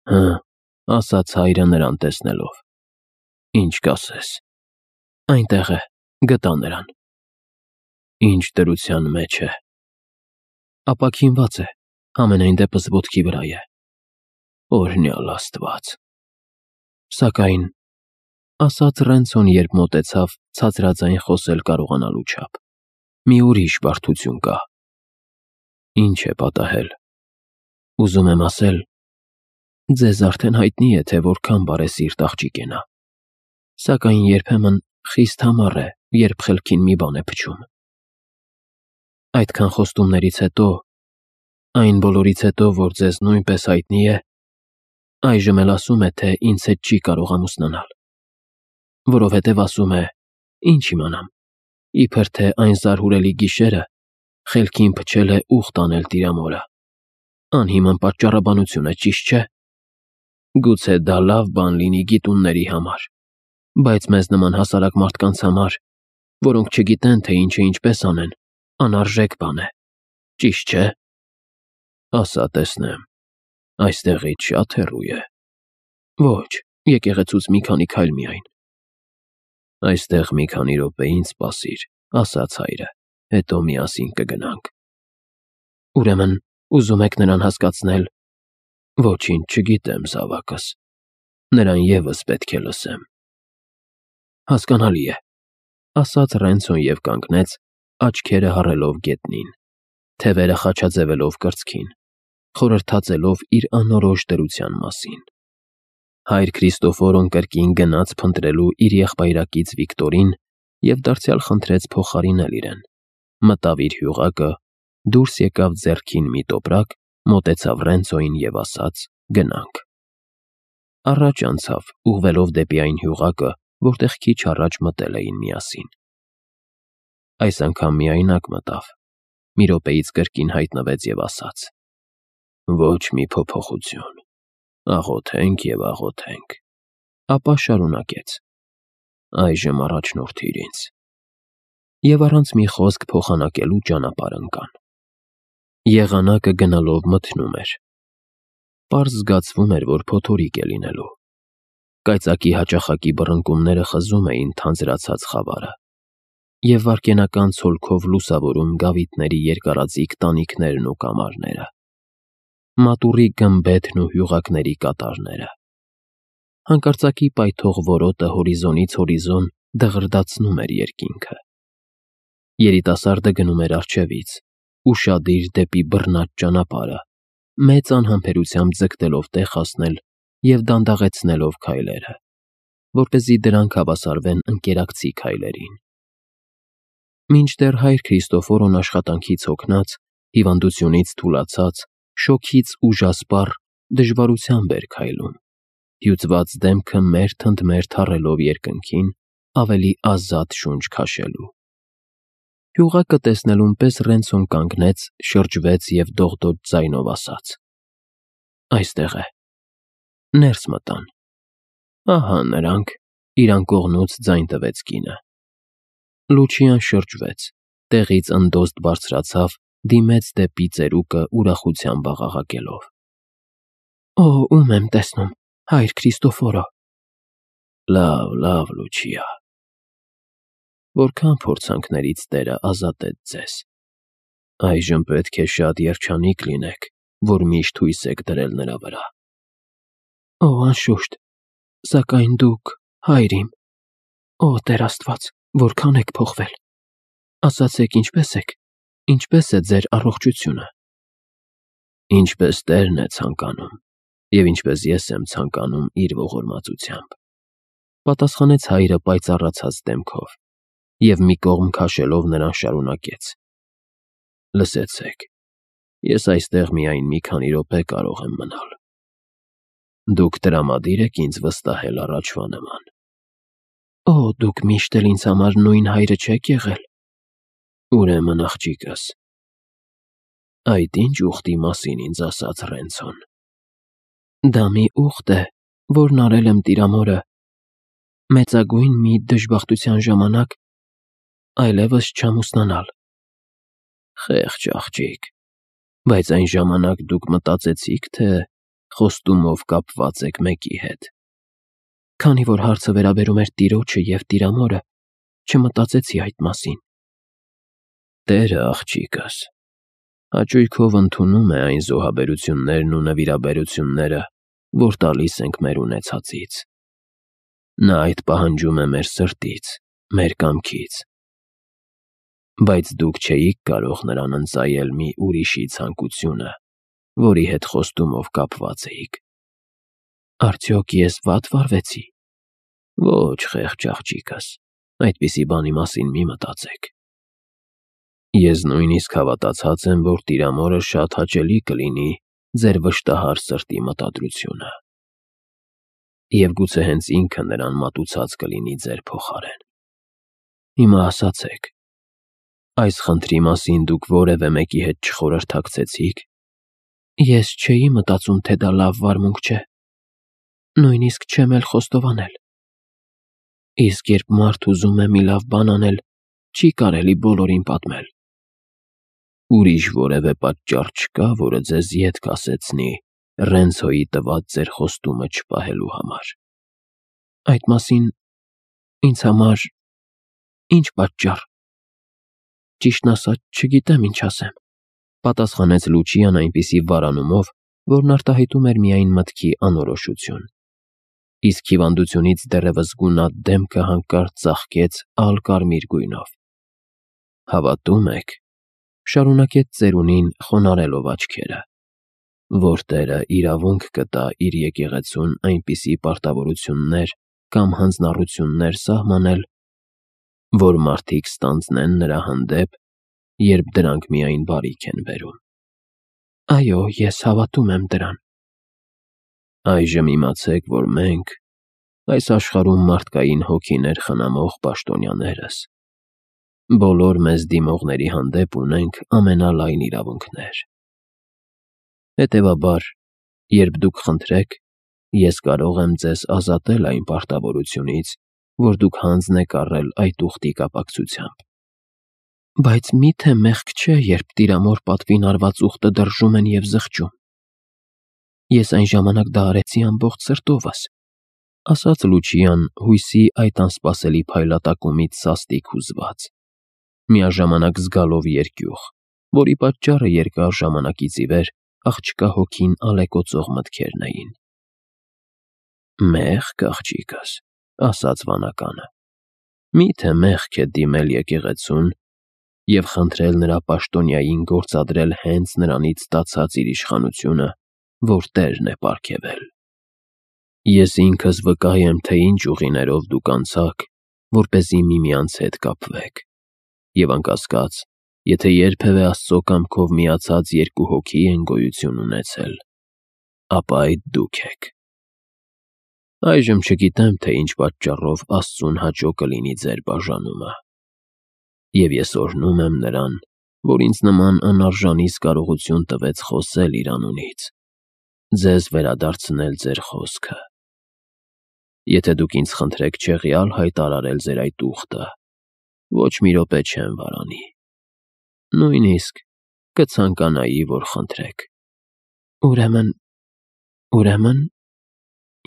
Հը, ասաց հայրը նրան տեսնելով։ Ինչ կասես։ Այնտեղ է, գտա նրան։ Ինչ դրության մեջ է։ Ապաքինված է, ամենայն դեպս ոտքի վրա է։ Օրհնյալ Աստված։ Սակայն, ասաց Ռենցոն, երբ մոտեցավ ցածրաձայն խոսել կարողանալու չափ, մի ուրիշ բարդություն կա։ Ինչ է պատահել։ Ուզում եմ ասել, ձեզ արդեն հայտնի է, թե որքան բարեսիրտ աղջիկ է նա, սակայն երբեմն խիստ համառ է, երբ խելքին մի բան է փչում։ Այդքան խոստումներից հետո, այն բոլորից հետո, որ ձեզ նույնպես հայտնի է, այժմ էլ ասում է, թե ինձ հետ չի կարող ամուսնանալ, որովհետև ասում է, ինչ իմանամ, իբր թե այն զարհուրելի գիշերը խելքին փչել է ուխտ անել տիրամորը։ Անհիմն պատճառաբանություն է, ճիշտ չէ։ Գուցե դա լավ բան լինի գիտունների համար, բայց մեզ նման հասարակ մարդկանց համար, որոնք չգիտեն, թե ինչը ինչպես անեն, անարժեք բան է, ճիշտ չէ։ Ասա տեսնեմ, այստեղից շատ հեռու է։ Ոչ, եկեղեցուց մի քանի քայլ միայն։ Այստեղ մի քանի րոպեին սպասիր, ասաց հայրը, հետո միասին կգնանք։ Ուրեմն, ուզում եք նրան հասկացնել։ Ոչինչ չգիտեմ, զավակս։ Նրան ևս պետք է լսեմ։ Հասկանալի է, ասաց Ռենցոն և կանգնեց, աչքերը հառելով գետնին, թևերը խաչաձևելով կրծքին, խորհրդածելով իր անորոշ դրության մասին։ Հայր Քրիստոֆորոն կրկին գնաց փնտրելու իր եղբայրակից Վիկտորին և դարձյալ խնդրեց փոխարինել իրեն, մտավ իր հյուղակը, դուրս եկավ ձեռքին մի տոպրակ, մոտեցավ Ռենցոյին և ասաց. գնանք։ Առաջ անցավ, ուղղվելով դեպի այն հյուղակը, որտեղ քիչ առաջ մտել էին միասին։ Այս անգամ միայնակ մտավ, մի րոպեից կրկին հայտնվեց և ասաց. ոչ մի փոփոխություն, աղոթենք և աղոթենք, ապա շարունակեց. այժմ առաջնորդիր ինձ։ Եվ առանց մի խոսք փոխանակելու ճանապարհ ընկան։ Եղանակը գնալով մթնում էր։ Պարզ զգացվում էր, որ փոթորիկ է լինելու։ Կայծակի հաճախակի բռնկումները խզում էին թանձրացած խավարը, և վայրկենական ցոլքով լուսավորում գավիթների երկարաձիգ տանիքներն ու կամարները, մատուռի գմբեթն ու հյուղակների կատարները։ Հանկարծակի պայթող որոտը հորիզոնից հորիզոն դղրդացնում էր երկինքը։ Երիտասարդը գնում էր առջևից, ուշադիր դեպի բռնած ճանապարհը, մեծ անհամբերությամբ ձգտելով տեղ հասնել և դանդաղեցնելով քայլերը, որպեսզի դրանք հավասարվեն ընկերակցի քայլերին։ Մինչդեռ հայր Քրիստոֆորոն աշխատանքից հոգնած, հիվանդությունից թուլացած, շոգից ուժասպառ, դժվարությամբ էր քայլում, հյուծված դեմքը մերթ-ընդ-մերթ հառելով երկնքին, ավելի ազատ շունչ քաշելու։ Հյուղակը տեսնելուն պես Ռենցոն կանգնեց, շրջվեց և դողդոջ ձայնով ասաց. այստեղ է։ Ներս մտան։ Ահա նրանք, իր անկողնուց ձայն տվեց կինը։ Լուչիան շրջվեց, տեղից ընդոստ բարձրացավ, դիմեց դեպի ծերուկը ուրախությամբ աղաղակելով. Օ, ում եմ տեսնում, հայր Քրիստոֆորո։ Լավ, Լուչիա։ Որքան փորձանքներից Տերը ազատեց ձեզ։ Այժմ պետք է շատ երջանիկ լինեք, որ միշտ հույս եք դրել նրա վրա։ Օ, անշուշտ, սակայն դուք, հայր իմ, օ, Տեր Աստված, որքան եք փոխվել։ Ասացեք, ինչպե՞ս եք, ինչպե՞ս է ձեր առողջությունը։ Ինչպես Տերն է ցանկանում, և ինչպես ես եմ ցանկանում իր ողորմածությամբ, պատասխանեց հայրը պայծառացած դեմքով, և մի կողմ քաշելով նրան շարունակեց. Լսեցեք, ես այստեղ միայն մի քանի րոպե կարող եմ մնալ։ Դուք տրամադիր եք ինձ վստահել առաջվա նման։ Օ, դուք միշտ էլ ինձ համար նույն հայրը չեք եղել։ Ուրեմն, աղջիկս, այդ ինչ ուխտի մասին ինձ ասաց Ռենցոն։ Դա մի ուխտ է, որն արել եմ տիրամորը մեծագույն մի դժբախտության ժամանակ այլևս չամուսնանալ։ Խեղճ աղջիկ, բայց այն ժամանակ դուք մտածեցիք, թե խոստումով կապված եք մեկի հետ։ Քանի որ հարցը վերաբերում էր տիրոջը և տիրամորը, չմտածեցի այդ մասին։ Տերը, աղջիկս, հաճույքով ընդունում է այն զոհաբերություններն ու նվիրաբերությունները, որ տալիս ենք մեր ունեցածից։ Նա այդ պահանջում է մեր սրտից, մեր կամքից։ Բայց դուք չէիք կարող նրան ընծայել մի ուրիշի ցանկությունը, որի հետ խոստումով կապված էիք։ Արդյոք ես վատ վարվեցի։ Ոչ, խեղճ աղջիկս, այդպիսի բանի մասին մի մտածեք։ Ես նույնիսկ հավատացած եմ, որ տիրամորը շատ հաճելի կլինի ձեր վշտահար սրտի մտադրությունը։ Եվ գուցե հենց ինքը նրան մատուցած կլինի ձեր փոխարեն։ Հիմա ասացեք, այս խնդրի մասին դուք որևէ մեկի հետ չխորհրդակցեցիք։ Ես չէի մտածում, թե դա լավ վարմունք չէ։ Նույնիսկ չեմ էլ խոստովանել։ Իսկ երբ մարդ ուզում է մի լավ բան անել, չի կարելի բոլորին պատմել։ Ուրիշ որևէ պատճառ չկա, որը ձեզ ետք ասեցնի Ռենցոյի տված ձեր խոստումը չպահելու համար։ Այդ մասին ինձ համար ինչ պատճառ։ Ճիշտն ասած, չգիտեմ ինչ ասեմ, պատասխանեց Լուչիան այնպիսի վարանումով, որն արտահայտում էր միայն մտքի անորոշություն։ Իսկ հիվանդությունից դեռևս գունատ դեմքը հանկարծ ծաղկեց ալ-կարմիր գույնով։ Հավատում եք, շարունակեց ծերունին խոնարելով աչքերը, որ Տերը իրավունք կտա իր եկեղեցուն այնպիսի պարտավորություններ կամ հանձնառություններ սահմանել, որ մարդիկ ստանձնեն նրա հանդեպ, երբ դրանք միայն բարիք են բերում։ Այո, ես հավատում եմ դրան։ Այժմ իմացեք, որ մենք, այս աշխարհում մարդկային հոգիներ խնամող պաշտոնյաներս, բոլոր մեզ դիմողների հանդեպ ունենք ամենալայն իրավունքներ։ Հետևաբար, երբ դուք խնդրեք, ես կարող եմ ձեզ ազատել այն պարտավորությունից, որ դուք հանձն եք առել այդ ուխտի կապակցությամբ։ Բայց մի՞թե մեղք չէ, երբ տիրամոր պատվին արված ուխտը դրժում են և զղջում։ Ես այն ժամանակ դա արեցի ամբողջ սրտովս, ասաց Լուչիան հույսի այդ անսպասելի փայլատակումից սաստիկ հուզված, միաժամանակ զգալով երկյուղ, որի պատճառը երկար ժամանակից ի վեր աղջկա հոգին ալեկոծող մտքերն էին։ Մեղք, աղջիկս, ասաց վանականը, մի՞թե մեղք է դիմել եկեղեցուն և խնդրել նրա պաշտոնյային գործադրել հենց նրանից ստացած իր իշխանությունը, որ Տերն է պարգևել։ Ես ինքս վկա եմ, թե ինչ ուղիներով դուք անցաք, որպեսզի միմյանց հետ կապվեք, և անկասկած, եթե երբևէ Աստծո կամքով միացած երկու հոգի են գոյություն ունեցել, ապա այդ դուք եք։ Այժմ չգիտեմ, թե ինչ պատճառով Աստծուն հաճո կլինի ձեր բաժանումը, և ես օրհնում եմ նրան, որ ինձ նման անարժանիս կարողություն տվեց խոսել իր անունից, ձեզ վերադարձնել ձեր խոսքը։ Եթե դուք ինձ խնդրեք չեղյալ հայտարարել ձեր այդ ուխտը, ոչ մի րոպե չեմ վարանի։ Նույնիսկ կցանկանայի, որ խնդրեք։ Ուրեմն,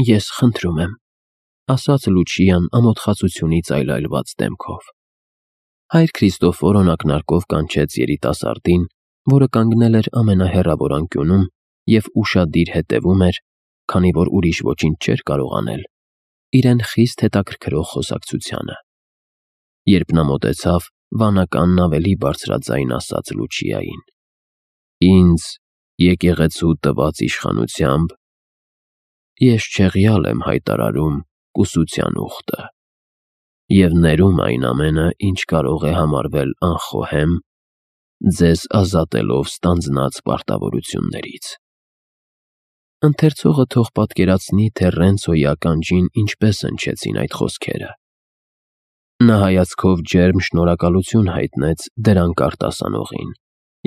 ես խնդրում եմ, ասաց Լուչիան ամոթխածությունից այլայլված դեմքով։ Հայր Քրիստոֆորոն ակնարկով կանչեց երիտասարդին, որը կանգնել էր ամենահեռավոր անկյունում և ուշադիր հետևում էր, քանի որ ուրիշ ոչինչ չէր կարող անել, իրեն խիստ հետաքրքրող խոսակցությանը։ Երբ նա մոտեցավ, վանականն ավելի բարձրաձայն ասաց Լուչիային. Ինձ եկեղեցու տված իշխանությամբ ես չեղյալ եմ հայտարարում կուսության ուխտը և ներում այն ամենը, ինչ կարող է համարվել անխոհեմ, ձեզ ազատելով ստանձնած պարտավորություններից։ Ընթերցողը թող պատկերացնի, թե Ռենցոյի ականջին ինչպես հնչեցին այդ խոսքերը։ Նա հայացքով ջերմ շնորհակալություն հայտնեց դրանք արտասանողին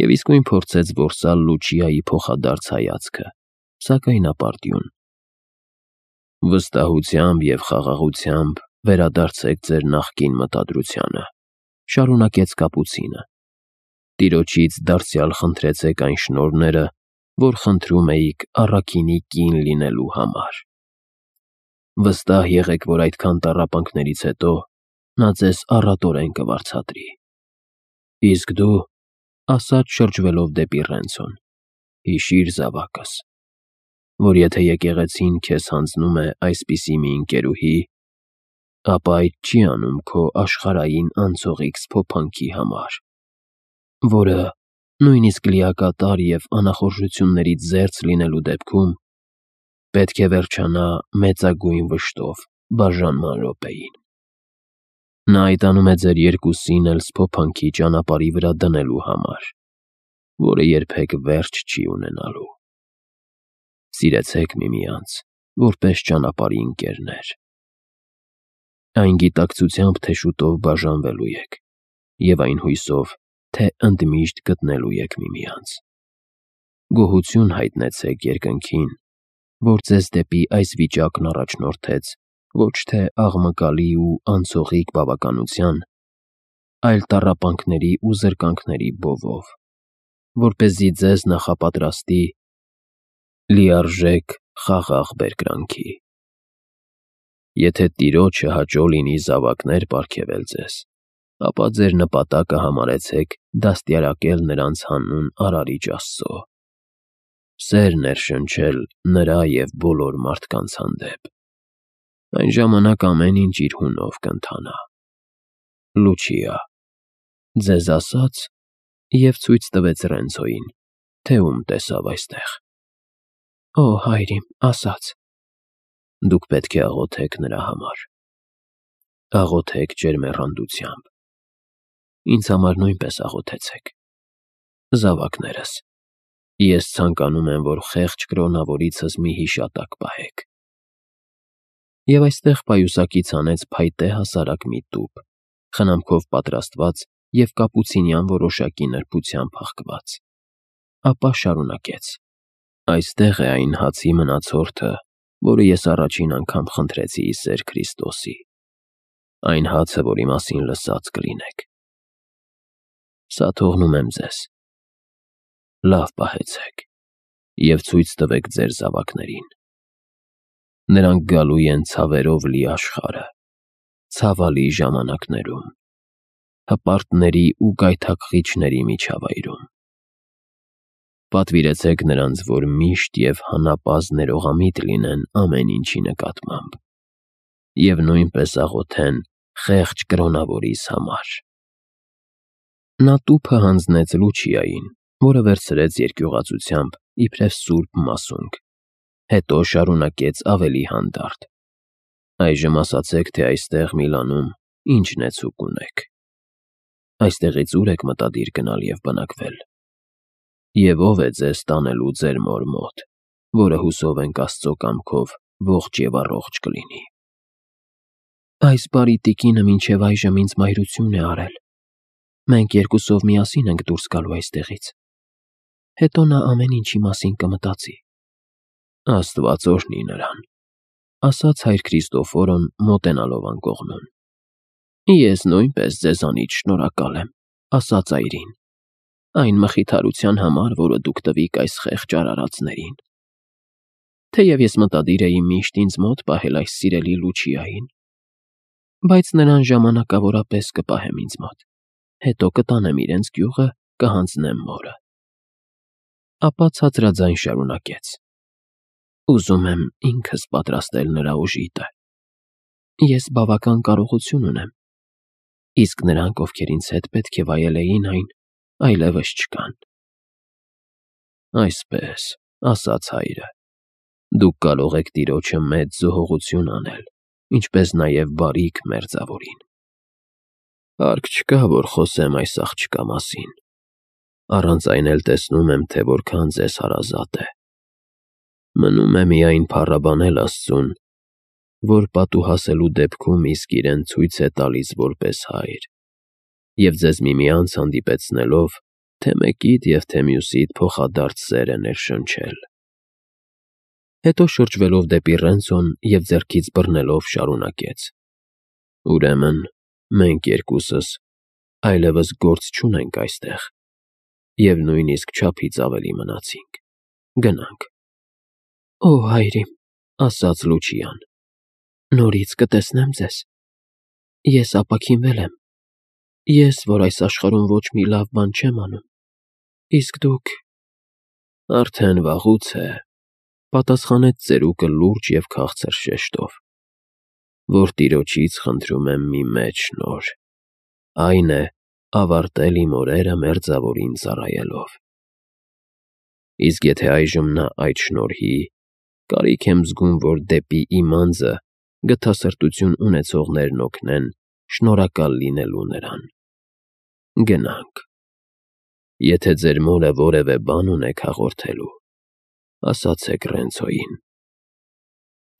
և իսկույն փորձեց որսալ Լուչիայի փոխադարձ հայացքը, սակայն ապարդյուն։ Վստահությամբ և խաղաղությամբ վերադարձեք ձեր նախկին մտադրությանը, շարունակեց կապուցինը։ Տիրոջից դարձյալ խնդրեցեք այն շնորհները, որ խնդրում էիք առաքինի կին լինելու համար։ Վստահ եղեք, որ այդքան տառապանքներից հետո նա ձեզ առատորեն կվարձատրի։ Իսկ դու, ասաց շրջվելով դեպի Ռենցոն, հիշիր զավակս, որ եթե եկեղեցին քեզ հանձնում է այսպիսի մի ընկերուհի, ապա այդ չի անում քո աշխարհային անցողիկ սփոփանքի համար, որը նույնիսկ լիակատար և անախորժություններից զերծ լինելու դեպքում պետք է վերջանա մեծագույն վշտով բաժանման րոպեին։ Նա այդ անում է ձեր երկուսին էլ սփոփանքի ճանապարհի վրա դնելու համար, որը երբեք վերջ չի ունենալու։ Սիրեցեք միմյանց, որպես ճանապարհի ընկերներ։ Այն գիտակցությամբ, թե շուտով բաժանվելու եք, և այն հույսով, թե ընդմիշտ գտնելու եք միմյանց։ Գոհություն հայտնեցեք երկնքին, որ ձեզ դեպի այս վիճակն առաջնորդեց ոչ թե աղմկալի ու անցողիկ բավականության, այլ տառապանքների ու զրկանքների բովով, որպեսզի ձեզ նախապատրաստի լիարժեք խաղաղ բերկրանքի։ Եթե Տիրոջը հաճո լինի զավակներ պարգևել ձեզ, ապա ձեր նպատակը համարեցեք դաստիարակել նրանց հանուն Արարիչ Աստծո, սեր ներշնչել նրա և բոլոր մարդկանց հանդեպ։ Այն ժամանակ ամեն ինչ իր հունով կընթանա։ Լուչիա ձեզ ասաց և ցույց տվեց Ռենցոյին, թե ում տեսավ այստեղ։ Օ, հայր իմ, ասաց։ Դուք պետք է աղոթեք նրա համար։ Աղոթեք ջերմեռանդությամբ։ Ինձ համար նույնպես աղոթեցեք։ Զավակներս, ես ցանկանում եմ, որ խեղճ կրոնավորիցս մի հիշատակ պահեք։ Եվ այստեղ պայուսակից հանեց փայտե հասարակ մի տուփ, խնամքով պատրաստված և կապուցինյան որոշակի նրբությամբ հաղկված։ Ապա շարունակեց. Այստեղ է այն հացի մնացորդը, որը ես առաջին անգամ խնդրեցի ի սեր Քրիստոսի, այն հացը, որի մասին լսած կլինեք։ Սա թողնում եմ ձեզ։ Լավ պահեցեք և ցույց տվեք ձեր զավակներին։ Նրանք գալու են ցավերով լի աշխարհը, ցավալի ժամանակներում, հպարտների ու գայթակղիչների միջավայրում։ Պատվիրեցեք նրանց, որ միշտ և հանապազդ ներողամիտ լինեն ամեն ինչի նկատմամբ և նույնպես աղոթեն խեղճ կրոնավորիս համար։ Նա տուփը հանձնեց Լուչիային, որը վերցրեց երկյուղածությամբ, իբրև սուրբ մասունք, հետո շարունակեց ավելի հանդարտ. Այժմ ասացեք, թե այստեղ Միլանում ի՞նչն է ցուկ ունեք։ Այստեղից ո՞ւր եք մտադիր գնալ և բնակվել։ Եվ ո՞վ է ձեզ տանելու ձեր մոր մոտ, որը հուսով ենք Աստծո կամքով ողջ և առողջ կլինի։ Այս բարի տիկինը մինչև այժմ ինձ մայրություն է արել։ Մենք երկուսով միասին ենք դուրս գալու այստեղից։ Հետո նա ամեն ինչի մասին կմտածի։ Աստված օրհնի նրան, ասաց հայր Քրիստոֆորոն մոտենալով անկողնուն։ Ես նույնպես ձեզանից շնորհակալ եմ, ասաց այրին, այն մխիթարության համար, որը դուք տվիք այս խեղճ արարածներին։ Թեև ես մտադիր էի միշտ ինձ մոտ պահել այս սիրելի Լուչիային, բայց նրան ժամանակավորապես կպահեմ ինձ մոտ, հետո կտանեմ իրենց գյուղը, կհանձնեմ մորը։ Ապա ցածրաձայն շարունակեց. Ուզում եմ ինքս պատրաստել նրա օժիտը։ Ես բավական կարողություն ունեմ, իսկ նրանք, ովքեր ինձ հետ պետք է վայելեին այն, այլևս չկան։ Այսպես, ասաց հայրը, դուք կարող եք Տիրոջը մեծ զոհողություն անել, ինչպես նաև բարիք մերձավորին։ Հարկ չկա, որ խոսեմ այս աղջկա մասին, առանց այն էլ տեսնում եմ, թե որքան ձեզ հարազատ է։ Մնում է միայն փառաբանել Աստծուն, որ պատուհասելու դեպքում իսկ իրեն ցույց է տալիս որպես հայր, և ձեզ միմյանց հանդիպեցնելով, թե մեկիդ և թե մյուսիդ փոխադարձ սեր է ներշնչել։ Հետո շրջվելով դեպի Ռենցոն և ձեռքից բռնելով շարունակեց. Ուրեմն, մենք երկուսս այլևս գործ չունենք այստեղ, և նույնիսկ չափից ավելի մնացինք։ Գնանք։ Օ, հայր իմ, ասաց Լուչիան, նորից կտեսնեմ ձեզ։ Ես ապաքինվել եմ։ Ես, որ այս աշխարհում ոչ մի լավ բան չեմ անում։ Իսկ դուք… Արդեն վաղուց է, պատասխանեց ծերուկը լուրջ և քաղցր շեշտով, որ տիրոջից խնդրում եմ մի մեծ շնորհ, այն է ավարտել իմ օրերը մերձավորին ծառայելով։ Իսկ եթե այժմ նա այդ շնորհի, կարիք եմ զգում, որ դեպի իմ անձը գթասրտություն ունեցողներն օգնեն շնորհակալ լինելու նրան։ Գնանք։ Եթե ձեր մորը որևէ բան ունեք հաղորդելու, ասացեք Ռենցոյին։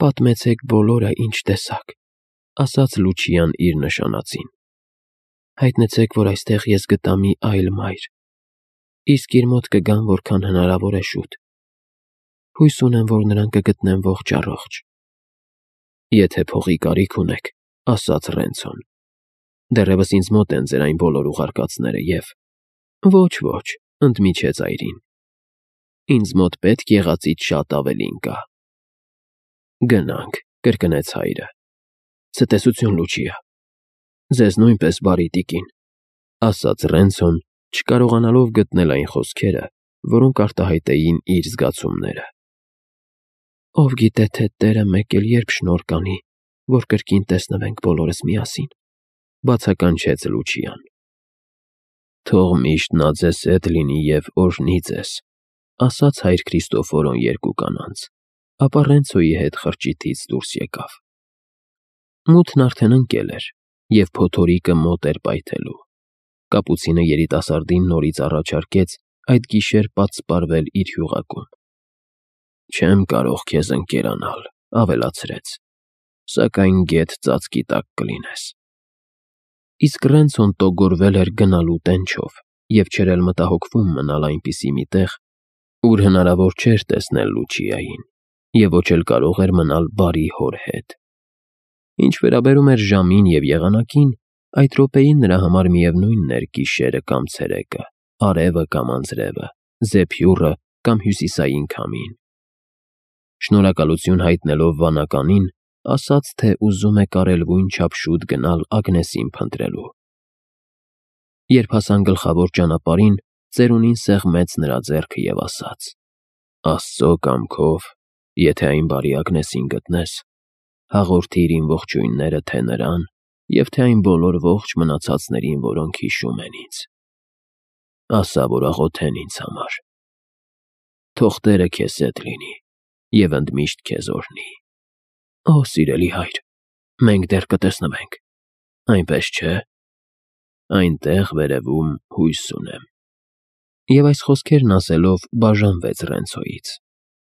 Պատմեցեք բոլորը, ինչ տեսաք, ասաց Լուչիան իր նշանածին։ Հայտնեցեք, որ այստեղ ես գտա մի այլ մայր, իսկ իր մոտ կգամ որքան հնարավոր է շուտ։ Հույս ունեմ, որ նրան կգտնեմ ողջ առողջ։ Եթե փողի կարիք ունեք, ասաց Ռենցոն, դեռևս ինձ մոտ են ձեր այն բոլոր ուղարկածները և… Ոչ, ընդմիջեց այրին, ինձ մոտ պետք եղածից շատ ավելին կա։ Գնանք, կրկնեց հայրը։ Ցտեսություն, Լուչիա։ Ձեզ նույնպես, բարի տիկին, ասաց Ռենցոն, չկարողանալով գտնել այն խոսքերը, որոնք արտահայտեին իր զգացումները։ Ով գիտե, թե Տերը մեկ էլ երբ շնորհ կանի, որ կրկին տեսնվենք բոլորս միասին, բացականչեց Լուչիան։ Թող միշտ նա ձեզ հետ լինի և օրհնի ձեզ, ասաց հայր Քրիստոֆորոն երկու կանանց, ապա Ռենցոյի հետ խրճիթից դուրս եկավ։ Մութն արդեն ընկել էր, և փոթորիկը մոտ էր պայթելու։ Կապուցինը երիտասարդին նորից առաջարկեց այդ գիշեր պատսպարվել իր հյուղակում։ Չեմ կարող քեզ ընկերանալ, ավելացրեց, սակայն գեթ ծածկի տակ կլինես։ Իսկ Ռենցոն տոգորվել էր գնալու տենչով և չէր էլ մտահոգվում մնալ այնպիսի մի տեղ, ուր հնարավոր չէր տեսնել Լուչիային և ոչ էլ կարող էր մնալ բարի հոր հետ։ Ինչ վերաբերում էր ժամին և եղանակին, այդ րոպեին նրա համար միևնույնն էր գիշերը կամ ցերեկը, արևը կամ անձրևը, զեփյուռը կամ հյուսիսային քամին։ Շնորհակալություն հայտնելով վանականին, ասաց, թե ուզում է կարելվույն չափ շուտ գնալ Ագնեսին փնտրելու։ Երբ հասան գլխավոր ճանապարհին, ծերունին սեղմեց նրա ձեռքը և ասաց. Աստծո կամքով, եթե այն բարի Ագնեսին գտնես, հաղորդիր իմ ողջույնները թե նրան և թե այն բոլոր ողջ մնացածներին, որոնք հիշում են ինձ։ Ասա, որ աղոթեն ինձ համար։ Թող Տերը քեզ հետ լինի և ընդմիշտ քեզ օրհնի։ Օ, սիրելի հայր, մենք դեռ կտեսնվենք, այնպես չէ։ Այնտեղ վերևում հույս ունեմ։ Եվ այս խոսքերն ասելով բաժանվեց Ռենցոյից։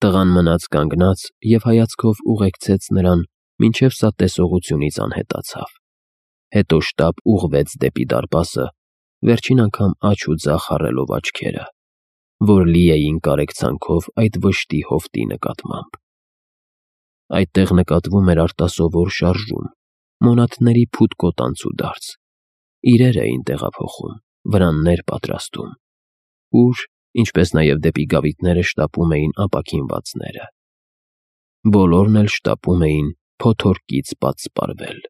Տղան մնաց կանգնած և հայացքով ուղեկցեց նրան, մինչև սա տեսողությունից անհետացավ։ Հետո շտապ ուղղվեց դեպի դարպասը, վերջին անգամ աջ ու ձախ հառելով աչքերը, որ լի էին կարեկցանքով այդ վշտի հովտի նկատմամբ։ Այդտեղ նկատվում էր արտասովոր շարժում, մոնաթների փութ կոտանցուդարձ, իրեր էին տեղափոխում, վրաններ պատրաստում, ուր, ինչպես նաև դեպի գավիթները շտապում էին ապաքինվածները։ Բոլորն էլ շտապում էին փոթորկից պատսպարվել։